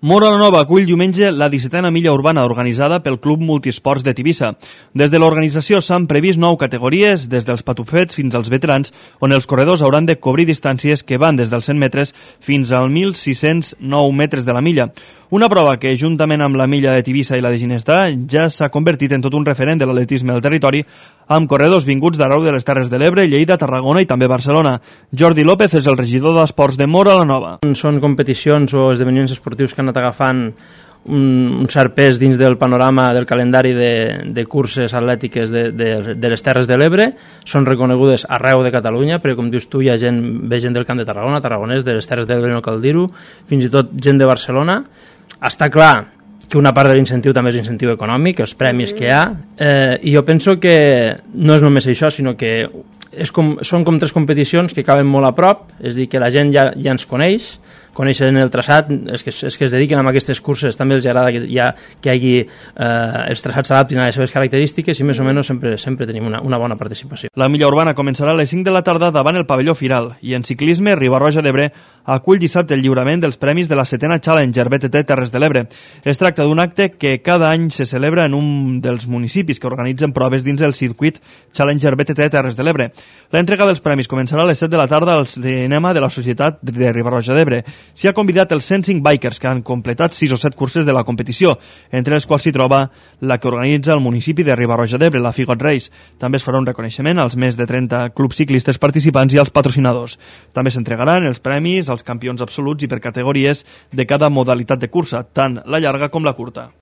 Móra la Nova acull diumenge la 17a milla urbana organitzada pel Club Multisports de Tivissa. Des de l'organització s'han previst 9 categories, des dels patufets fins als veterans, on els corredors hauran de cobrir distàncies que van des dels 100 metres fins als 1.609 metres de la milla. Una prova que, juntament amb la milla de Tivissa i la de Ginestà, ja s'ha convertit en tot un referent de l'atletisme del territori, amb corredors vinguts d'arreu de les Terres de l'Ebre, Lleida, Tarragona i també Barcelona. Jordi López és el regidor d'Esports de Móra la Nova. Són competicions o esdeveniments esportius que han anat agafant un cert pes dins del panorama del calendari de curses atlètiques de les Terres de l'Ebre. Són reconegudes arreu de Catalunya, perquè com dius tu hi ha ve gent del Camp de Tarragona, tarragonès, de les Terres de l'Ebre no cal dir-ho, fins i tot gent de Barcelona. Està clar que una part de l'incentiu també és l'incentiu econòmic, els premis que hi ha, i jo penso que no és només això, sinó que són com 3 competicions que acaben molt a prop, és a dir, que la gent ja ens coneixen el traçat, és que es dediquen a aquestes curses, també els agrada que hi hagi els traçats s'adaptin a les seves característiques i més o menys sempre tenim una bona participació. La milla urbana començarà a les 5 de la tarda davant el pavelló Firal i en ciclisme Riba-roja d'Ebre acull dissabte el lliurament dels premis de la 7a Challenger BTT Terres de l'Ebre. Es tracta d'un acte que cada any se celebra en un dels municipis que organitzen proves dins el circuit Challenger BTT Terres de l'Ebre. L'entrega dels premis començarà a les 7 de la tarda al cinema de la Societat de Riba-roja d'Ebre. S'hi ha convidat els 105 bikers que han completat 6 o 7 curses de la competició, entre les quals s'hi troba la que organitza el municipi de Riba-roja d'Ebre, la Figot Race. També es farà un reconeixement als més de 30 clubs ciclistes participants i als patrocinadors. També s'entregaran els premis als campions absoluts i per categories de cada modalitat de cursa, tant la llarga com la curta.